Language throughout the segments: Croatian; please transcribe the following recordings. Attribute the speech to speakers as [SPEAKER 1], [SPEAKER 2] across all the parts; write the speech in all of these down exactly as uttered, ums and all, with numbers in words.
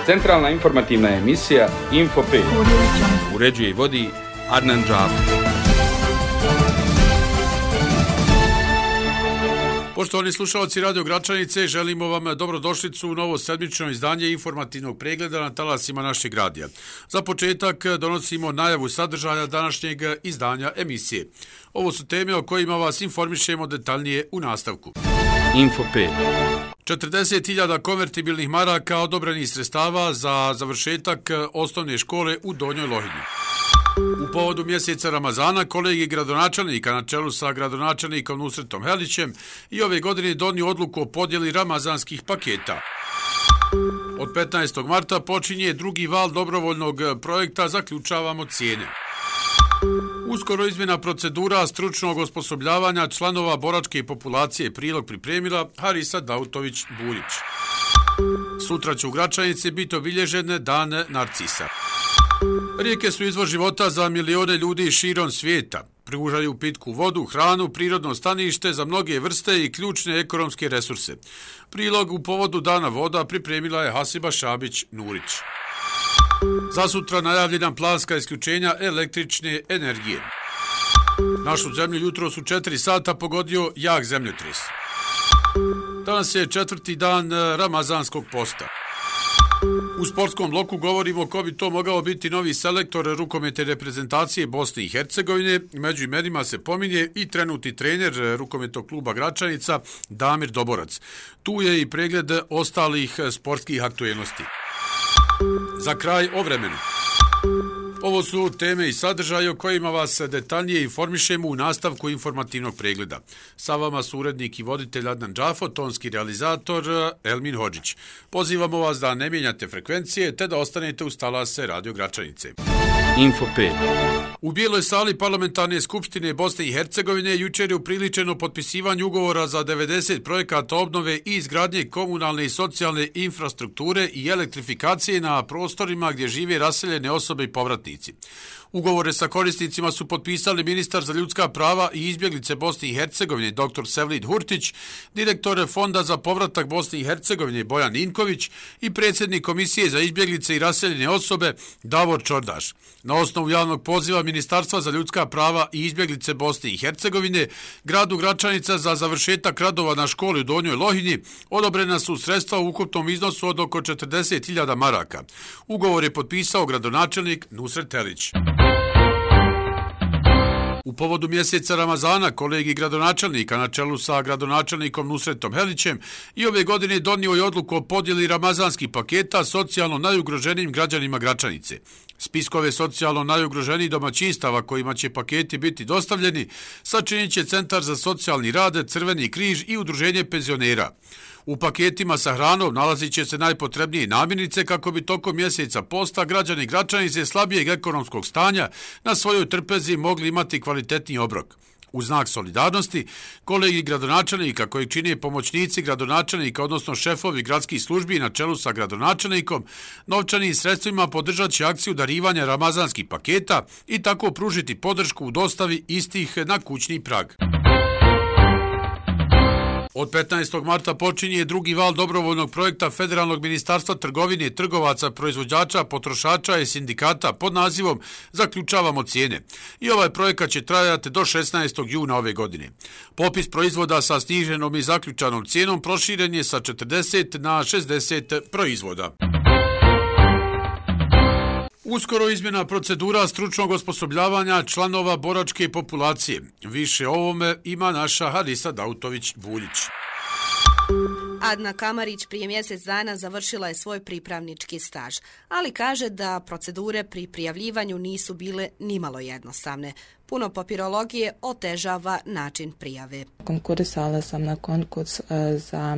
[SPEAKER 1] Centralna informativna emisija Info pet.
[SPEAKER 2] Uređuje i vodi Adnan Džafer. Poštovani slušalci Radio Gračanice, želimo vam dobrodošlicu u novo sedmično izdanje informativnog pregleda na talasima našeg radija. Za početak donosimo najavu sadržaja današnjeg izdanja emisije. Ovo su teme o kojima vas informišemo detaljnije u nastavku.
[SPEAKER 1] Info pet.
[SPEAKER 2] četrdeset hiljada konvertibilnih maraka odobrenih sredstava za završetak osnovne škole u Donjoj Lohini. U povodu mjeseca Ramazana kolegij gradonačelnika na čelu sa gradonačelnikom Nusretom Helićem i ove godine donio odluku o podjeli ramazanskih paketa. Od petnaestog marta počinje drugi val dobrovoljnog projekta Zaključavamo cijene. Uskoro izmjena procedura stručnog osposobljavanja članova boračke populacije prilog pripremila Harisa Dautović-Buljić. Sutra će u Gračanici biti obilježen Dan Narcisa. Rijeke su izvor života za milione ljudi širom svijeta. Pružaju pitku vodu, hranu, prirodno stanište za mnoge vrste i ključne ekonomske resurse. Prilog u povodu Dana voda pripremila je Hasiba Šabić-Nurić. Zasutra najavljena planska isključenja električne energije. Našu zemlju jutro su četiri sata pogodio jak zemljotres. Danas je četvrti dan ramazanskog posta. U sportskom bloku govorimo ko bi to mogao biti novi selektor rukometne reprezentacije Bosne i Hercegovine. Među imenima se pominje i trenutni trener rukometnog kluba Gračanica Damir Doborac. Tu je i pregled ostalih sportskih aktuelnosti. Za kraj o vremenu. Ovo su teme i sadržaje o kojima vas detaljnije informišemo u nastavku informativnog pregleda. Sa vama su urednik i voditelj Adnan Džafer, tonski realizator Elmin Hodžić. Pozivamo vas da ne mijenjate frekvencije te da ostanete uz talase Radio Gračanice.
[SPEAKER 1] Info pet.
[SPEAKER 2] U Bijeloj sali Parlamentarne skupštine Bosne i Hercegovine jučer je upriličeno potpisivanje ugovora za devedeset projekata obnove i izgradnje komunalne i socijalne infrastrukture i elektrifikacije na prostorima gdje žive raseljene osobe i povratnici. Ugovore sa korisnicima su potpisali ministar za ljudska prava i izbjeglice Bosne i Hercegovine dr. Sevlid Hurtić, direktor Fonda za povratak Bosne i Hercegovine Bojan Ninković i predsjednik Komisije za izbjeglice i raseljene osobe Davor Čordaš. Na osnovu javnog poziva Ministarstva za ljudska prava i izbjeglice Bosne i Hercegovine, gradu Gračanica za završetak radova na školi u Donjoj Lohini odobrena su sredstva u ukupnom iznosu od oko četrdeset hiljada maraka. Ugovor je potpisao gradonačelnik Nusret Helić. U povodu mjeseca Ramazana kolegij gradonačelnika na čelu sa gradonačelnikom Nusretom Helićem i ove godine donio je odluku o podjeli ramazanskih paketa socijalno najugroženijim građanima Gračanice. Spiskove socijalno najugroženijih domaćinstava kojima će paketi biti dostavljeni sačinit će Centar za socijalni rad, Crveni križ i Udruženje penzionera. U paketima sa hranom nalazit će se najpotrebnije namirnice kako bi tokom mjeseca posta građani Gračanice slabijeg ekonomskog stanja na svojoj trpezi mogli imati kvalitetniji obrok. U znak solidarnosti, kolegij gradonačelnika koji čine pomoćnici gradonačelnika, odnosno šefovi gradskih službi na čelu sa gradonačelnikom, novčanim sredstvima podržat će akciju darivanja ramazanskih paketa i tako pružiti podršku u dostavi istih na kućni prag. Od petnaestog marta počinje drugi val dobrovoljnog projekta Federalnog ministarstva trgovine, trgovaca, proizvođača, potrošača i sindikata pod nazivom Zaključavamo cijene. I ovaj projekat će trajati do šesnaestog juna ove godine. Popis proizvoda sa sniženom i zaključanom cijenom proširen je sa četrdeset na šezdeset proizvoda. Uskoro izmjena procedura stručnog osposobljavanja članova boračke populacije. Više o ovome ima naša Harisa Dautović-Buljić.
[SPEAKER 3] Adna Kamarić prije mjesec dana završila je svoj pripravnički staž, ali kaže da procedure pri prijavljivanju nisu bile nimalo jednostavne. Puno papirologije otežava način prijave.
[SPEAKER 4] Konkurisala sam na konkurs za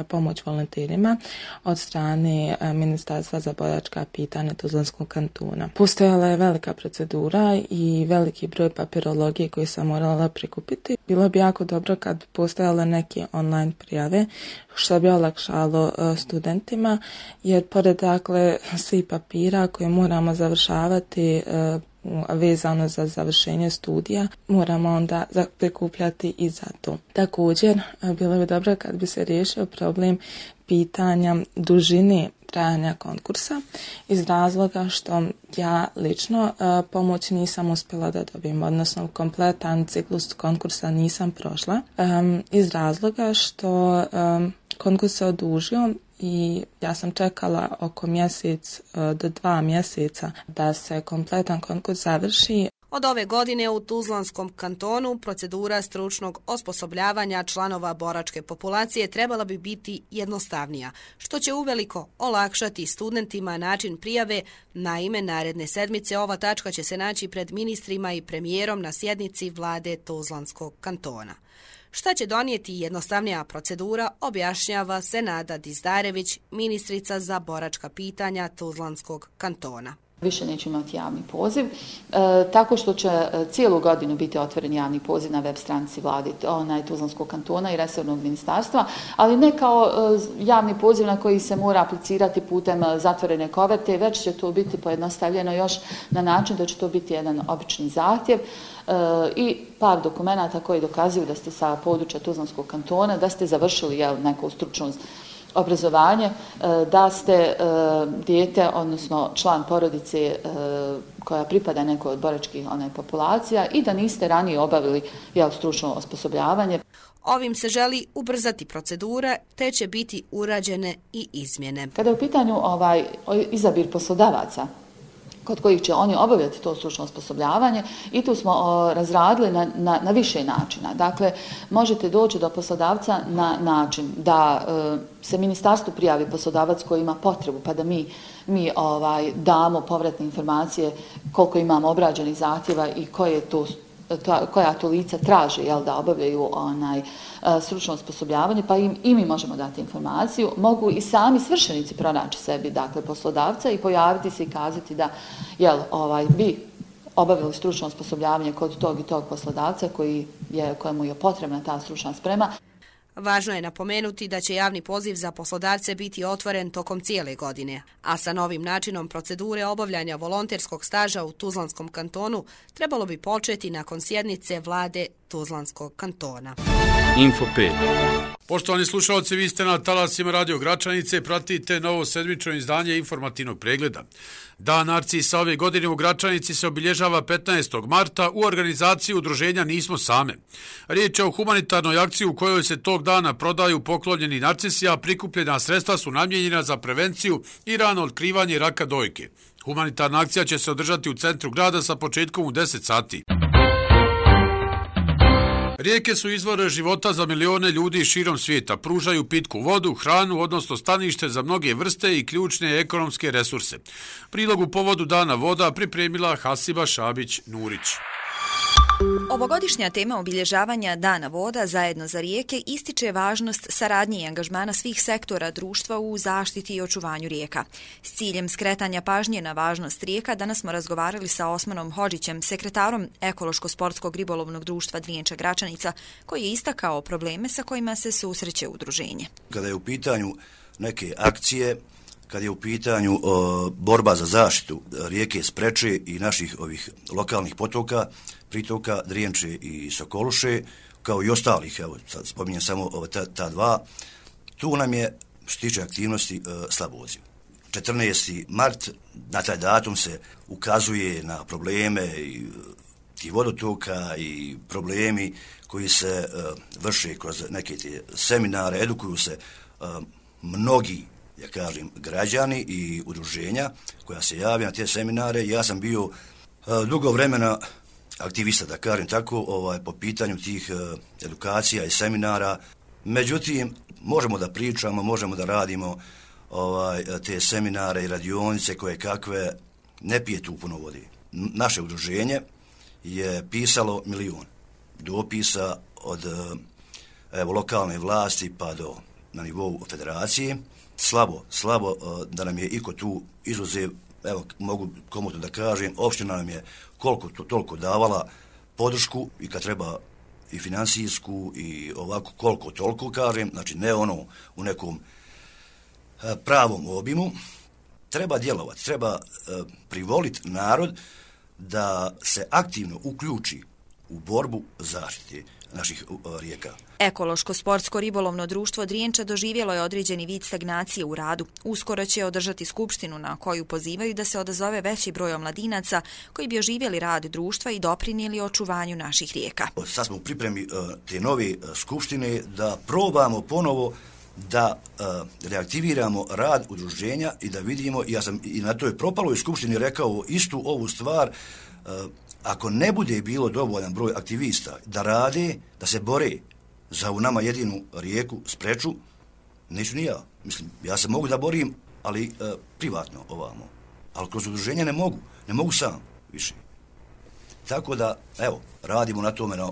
[SPEAKER 4] pomoć volonterima od strane Ministarstva za boračka pitanja Tuzlanskog kantona. Postojala je velika procedura i veliki broj papirologije koje sam morala prikupiti. Bilo bi jako dobro kad bi postojale neke online prijave, što bi olakšalo studentima, jer pored dakle svih papira koje moramo završavati vezano za završenje studija, moramo onda prikupljati i za to. Također, bilo bi dobro kad bi se riješio problem pitanja dužine trajanja konkursa iz razloga što ja lično uh, pomoć nisam uspjela da dobijem, odnosno kompletan ciklus konkursa nisam prošla um, iz razloga što um, konkurs se odužio i ja sam čekala oko mjesec uh, do dva mjeseca da se kompletan konkurs završi.
[SPEAKER 3] Od ove godine u Tuzlanskom kantonu procedura stručnog osposobljavanja članova boračke populacije trebala bi biti jednostavnija, što će uveliko olakšati studentima način prijave. Naime, naredne sedmice ova tačka će se naći pred ministrima i premijerom na sjednici vlade Tuzlanskog kantona. Šta će donijeti jednostavnija procedura, objašnjava Senada Dizdarević, ministrica za boračka pitanja Tuzlanskog kantona.
[SPEAKER 5] Više neće imati javni poziv, e, tako što će cijelu godinu biti otvoren javni poziv na web stranici vlade onaj Tuzlanskog kantona i resornog ministarstva, ali ne kao e, javni poziv na koji se mora aplicirati putem zatvorene koverte, već će to biti pojednostavljeno još na način da će to biti jedan obični zahtjev e, i par dokumenata koji dokazuju da ste sa područja Tuzlanskog kantona, da ste završili jel, neko stručno obrazovanje, da ste dijete, odnosno član porodice koja pripada nekoj od boračkih onaj, populacija i da niste ranije obavili jel, stručno osposobljavanje.
[SPEAKER 3] Ovim se želi ubrzati procedura, te će biti urađene i izmjene.
[SPEAKER 5] Kada je u pitanju ovaj, izabir poslodavaca, kod kojih će oni obavljati to stručno osposobljavanje i tu smo o, razradili na, na, na više načina. Dakle, možete doći do poslodavca na način da e, se ministarstvu prijavi poslodavac koji ima potrebu, pa da mi, mi ovaj, damo povratne informacije koliko imamo obrađenih zahtjeva i koje to To, koja to lica traže jel, da obavljaju onaj, stručno osposobljavanje, pa im, i mi možemo dati informaciju. Mogu i sami svršenici pronaći sebi dakle, poslodavca i pojaviti se i kazati da jel, ovaj, bi obavili stručno osposobljavanje kod tog i tog poslodavca koji je, kojemu je potrebna ta stručna sprema.
[SPEAKER 3] Važno je napomenuti da će javni poziv za poslodavce biti otvoren tokom cijele godine, a sa novim načinom procedure obavljanja volonterskog staža u Tuzlanskom kantonu trebalo bi početi nakon sjednice vlade Tuzlanskog kantona.
[SPEAKER 1] Info pet.
[SPEAKER 2] Poštovani slušalci, vi ste na talasima Radio Gračanice, pratite novo sedmično izdanje informativnog pregleda. Dan Narcisa ove godine u Gračanici se obilježava petnaestog marta u organizaciji udruženja Nismo same. Riječ je o humanitarnoj akciji u kojoj se tog dana prodaju poklonjeni narcisi, a prikupljena sredstva su namijenjena za prevenciju i rano otkrivanje raka dojke. Humanitarna akcija će se održati u centru grada sa početkom u deset sati. Rijeke su izvor života za milione ljudi širom svijeta, pružaju pitku vodu, hranu, odnosno stanište za mnoge vrste i ključne ekonomske resurse. Prilog u povodu Dana voda pripremila Hasiba Šabić-Nurić.
[SPEAKER 6] Ovogodišnja tema obilježavanja Dana voda zajedno za rijeke ističe važnost saradnje i angažmana svih sektora društva u zaštiti i očuvanju rijeka. S ciljem skretanja pažnje na važnost rijeka danas smo razgovarali sa Osmanom Hodžićem, sekretarom Ekološko-sportskog ribolovnog društva Driječa Gračanica, koji je istakao probleme sa kojima se susreće udruženje.
[SPEAKER 7] Kada je u pitanju neke akcije, kad je u pitanju o, borba za zaštitu rijeke Spreče i naših ovih lokalnih potoka, pritoka Drijenče i Sokoluše, kao i ostalih, evo, sad spominjem samo ova, ta, ta dva, tu nam je, što tiče aktivnosti, e, slab odziv. četrnaesti mart, na taj datum se ukazuje na probleme i ti vodotoka i problemi koji se e, vrše kroz neke te seminare, edukuju se e, mnogi, ja kažem, građani i udruženja koja se javlja na te seminare. Ja sam bio e, dugo vremena aktivista, da kažem tako, ovaj, po pitanju tih e, edukacija i seminara. Međutim, možemo da pričamo, možemo da radimo ovaj, te seminare i radionice koje kakve, ne pije tu puno vode. Naše udruženje je pisalo milion dopisa od evo, lokalne vlasti pa do na nivou federacije. Slabo, slabo da nam je iko tu izuzev, evo mogu komotno da kažem, opština nam je koliko to, toliko davala podršku i kad treba i financijsku i ovako koliko toliko kažem, znači ne ono u nekom pravom obimu. Treba djelovati, treba privoliti narod da se aktivno uključi u borbu zaštite naših rijeka.
[SPEAKER 6] Ekološko-sportsko ribolovno društvo Drijenča doživjelo je određeni vid stagnacije u radu. Uskoro će održati skupštinu na koju pozivaju da se odazove veći broj omladinaca koji bi oživjeli rad društva i doprinijeli očuvanju naših rijeka.
[SPEAKER 7] Sad smo u pripremi te nove skupštine da probamo ponovo da uh, reaktiviramo rad udruženja i da vidimo, ja sam i na toj propaloj skupštini rekao istu ovu stvar, uh, ako ne bude bilo dovoljan broj aktivista da rade, da se bore za u nama jedinu rijeku Spreču, neću ni ja. Mislim, ja se mogu da borim, ali uh, privatno ovamo. Ali kroz udruženje ne mogu, ne mogu sam više. Tako da, evo, radimo na tome na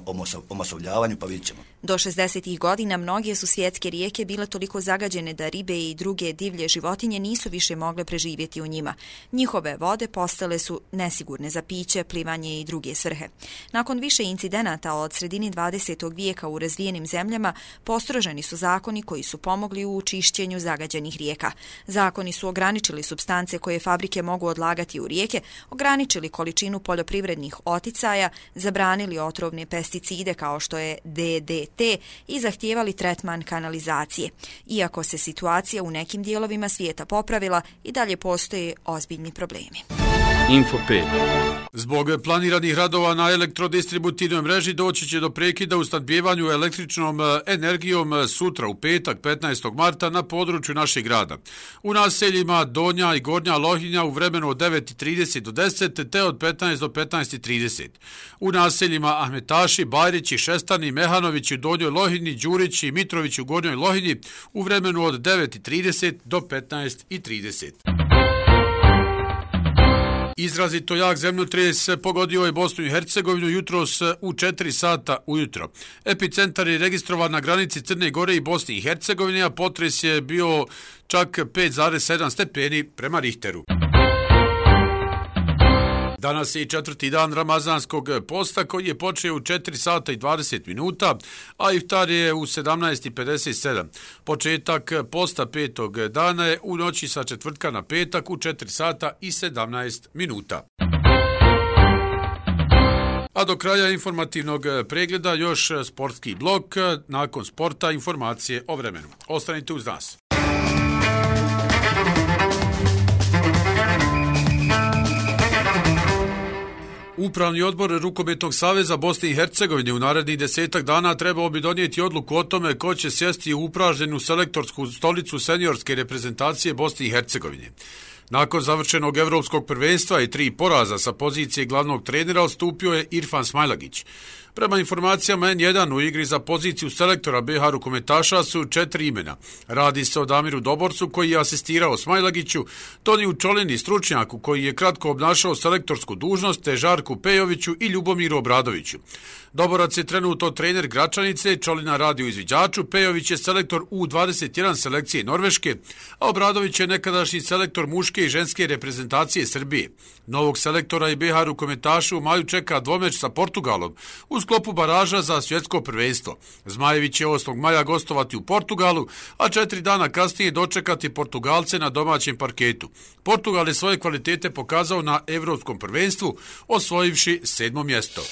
[SPEAKER 7] omasovljavanju, pa vidit ćemo.
[SPEAKER 6] Do šezdesetih godina mnoge su svjetske rijeke bile toliko zagađene da ribe i druge divlje životinje nisu više mogle preživjeti u njima. Njihove vode postale su nesigurne za piće, plivanje i druge svrhe. Nakon više incidenata od sredini dvadesetog vijeka u razvijenim zemljama, postroženi su zakoni koji su pomogli u čišćenju zagađenih rijeka. Zakoni su ograničili supstance koje fabrike mogu odlagati u rijeke, ograničili količinu poljoprivrednih oticaja, zabranili otrovne pesticide kao što je D D T i zahtijevali tretman kanalizacije. Iako se situacija u nekim dijelovima svijeta popravila, i dalje postoje ozbiljni problemi.
[SPEAKER 1] Info pet.
[SPEAKER 2] Zbog planiranih radova na elektrodistributivnoj mreži doći će do prekida u snabdijevanju električnom energijom sutra u petak petnaestog marta na području našeg grada. U naseljima Donja i Gornja Lohinja u vremenu od devet i trideset do deset te od petnaest do petnaest i trideset. U naseljima Ahmetaši, Bajrići, Šestani, Mehanovići u Donjoj Lohinji, Đurići i Mitrovići u Gornjoj Lohinji u vremenu od devet i trideset do petnaest i trideset. Izrazito jak zemljotres pogodio je Bosnu i Hercegovinu jutros u četiri sata ujutro. Epicentar je registrovan na granici Crne Gore i Bosne i Hercegovine, a potres je bio čak pet zarez sedam stepeni prema Richteru. Danas je i četvrti dan Ramazanskog posta koji je počeo u četiri sata i dvadeset minuta, a iftar je u sedamnaest i pedeset sedam. Početak posta petog dana je u noći sa četvrtka na petak u četiri sata i sedamnaest minuta. A do kraja informativnog pregleda još sportski blok, nakon sporta informacije o vremenu. Ostanite uz nas. Upravni odbor Rukometnog saveza Bosne i Hercegovine u narednih desetak dana trebao bi donijeti odluku o tome ko će sjesti u upražnjenu selektorsku stolicu seniorske reprezentacije Bosne i Hercegovine. Nakon završenog evropskog prvenstva i tri poraza sa pozicije glavnog trenera odstupio je Irfan Smajlagić. Prema informacijama en jedan u igri za poziciju selektora be ha rukometaša su četiri imena. Radi se o Damiru Doborcu koji je asistirao Smajlagiću, Toniju Čolini stručnjaku koji je kratko obnašao selektorsku dužnost, te Žarku Pejoviću i Ljubomiru Obradoviću. Doborac je trenutno trener Gračanice, Čolina radi u izviđaču, Pejović je selektor u dvadeset jedan selekcije Norveške, a Obradović je nekadašnji selektor muške i ženske reprezentacije Srbije. Novog selektora i be ha rukometaša u maju čeka dvomeč sa Portugalom u sklopu baraža za svjetsko prvenstvo. Zmajević će osmog maja gostovati u Portugalu, a četiri dana kasnije dočekati Portugalce na domaćem parketu. Portugal je svoje kvalitete pokazao na evropskom prvenstvu, osvojivši sedmo mjesto.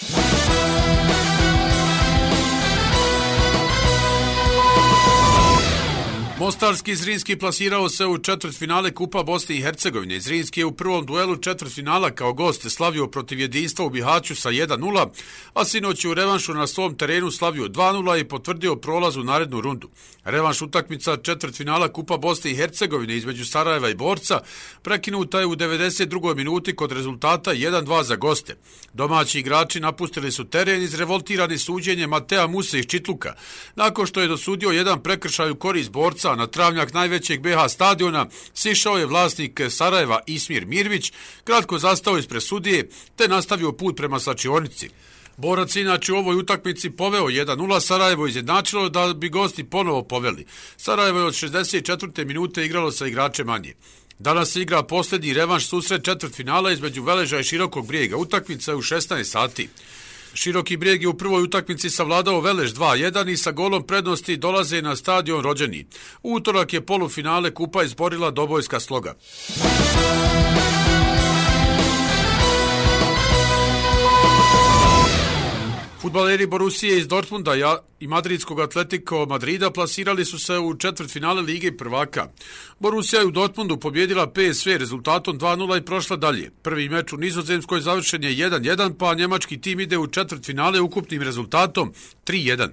[SPEAKER 2] Mostarski Zrinski plasirao se u četvrtfinale Kupa Bosne i Hercegovine. Zrinski je u prvom duelu četvrtfinala kao gost slavio protiv Jedinstva u Bihaću sa jedan nula, a sinoć u revanšu na svom terenu slavio dva nula i potvrdio prolaz u narednu rundu. Revanš utakmica četvrtfinala Kupa Bosne i Hercegovine između Sarajeva i Borca prekinuta je u devedeset drugoj minuti kod rezultata jedan dva za goste. Domaći igrači napustili su teren izrevoltirani suđenjem Matea Muse iz Čitluka, nakon što je dosudio jedan prekršaj u korist Borca. Na travnjak najvećeg be ha stadiona sišao je vlasnik Sarajeva Ismir Mirvić, kratko zastao ispred sudije te nastavio put prema slačionici. Borac inače u ovoj utakmici poveo jedan nula, Sarajevo izjednačilo da bi gosti ponovo poveli. Sarajevo je od šezdeset četvrte minute igralo sa igračem manje. Danas se igra posljednji revanš susret četvrtfinala između Veleža i Širokog Brijega. Utakmica je u šesnaest sati. Široki Brijeg je u prvoj utakmici savladao Veleš dva jedan i sa golom prednosti dolaze na stadion Rođeni. U utorak je polufinale Kupa izborila Dobojska Sloga. Fudbaleri Borusije iz Dortmunda i madridskog Atletico Madrida plasirali su se u četvrtfinale Lige prvaka. Borusija je u Dortmundu pobjedila P S V rezultatom dva nula i prošla dalje. Prvi meč u Nizozemskoj završen je jedan jedan, pa njemački tim ide u četvrtfinale ukupnim rezultatom tri jedan.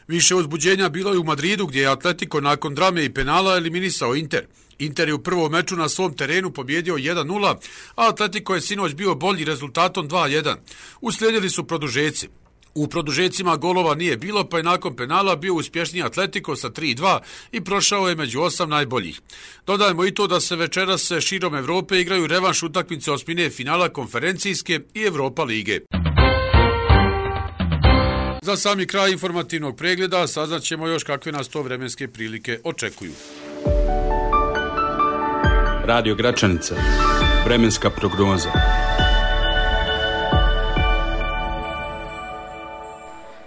[SPEAKER 2] Više uzbuđenja bilo je u Madridu, gdje je Atletico nakon drame i penala eliminisao Inter. Inter je u prvom meču na svom terenu pobjedio jedan nula, a Atletico je sinoć bio bolji rezultatom dva jedan. Uslijedili su produžeci. U produžecima golova nije bilo, pa je nakon penala bio uspješniji Atletico sa tri dva i prošao je među osam najboljih. Dodajmo i to da se večeras širom Evrope igraju revanš utakmice osmine finala konferencijske i Europa lige. Za sami kraj informativnog pregleda saznaćemo još kakve nas to vremenske prilike očekuju.
[SPEAKER 1] Radio Gračanica. Vremenska prognoza.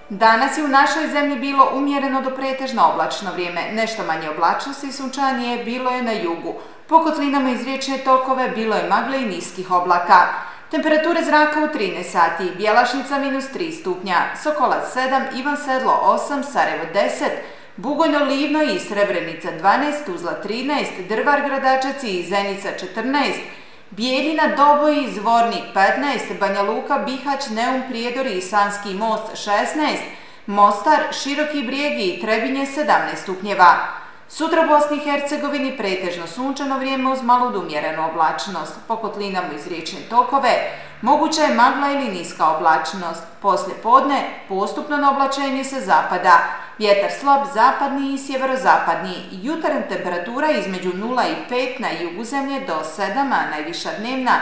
[SPEAKER 8] Danas je u našoj zemlji bilo umjereno do pretežno oblačno vrijeme. Nešto manje oblačnosti i sunčanije bilo je na jugu. Po kotlinama iz riječne tokove bilo je magle i niskih oblaka. Temperature zraka u trinaest sati, Bjelašnica minus tri stupnja, Sokolac sedam, Ivan Sedlo osam, Sarajevo deset, Bugojno, Livno i Srebrenica dvanaest, Tuzla trinaest, Drvar, Gradačac i Zenica četrnaest, Bijeljina, Doboj, Zvornik petnaest, Banja Luka, Bihać, Neum, Prijedor i Sanski most šesnaest, Mostar, Široki Brijeg i Trebinje sedamnaest stupnjeva. Sutra u Bosni i Hercegovini pretežno sunčano vrijeme uz malu umjerenu oblačnost. Po kotlinama iz riječne tokove moguća je magla ili niska oblačnost. Poslije podne postupno na oblačenje se zapada. Vjetar slab zapadni i sjeverozapadni. Jutarnja temperatura između nula i pet na jugu zemlje do sedam, a najviša dnevna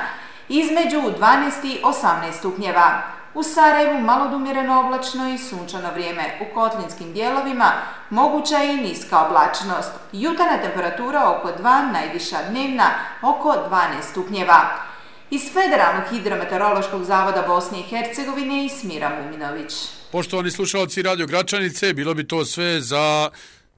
[SPEAKER 8] između dvanaest i osamnaest stupnjeva. U Sarajevu malo umjereno oblačno i sunčano vrijeme. U kotlinskim dijelovima moguća je i niska oblačnost. Jutarnja temperatura oko dva, najviša dnevna oko dvanaest stupnjeva. Iz Federalnog hidrometeorološkog zavoda Bosne i Hercegovine i Smira Muminović.
[SPEAKER 2] Poštovani slušalci Radio Gračanice, bilo bi to sve za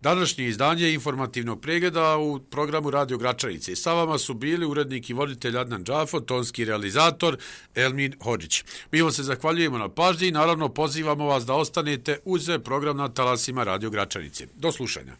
[SPEAKER 2] današnje izdanje informativnog pregleda u programu Radio Gračanice. Sa vama su bili urednik i voditelj Adnan Džafo, tonski realizator Elmin Hodžić. Mi vam se zahvaljujemo na pažnji i naravno pozivamo vas da ostanete uz program na talasima Radio Gračanice. Do slušanja.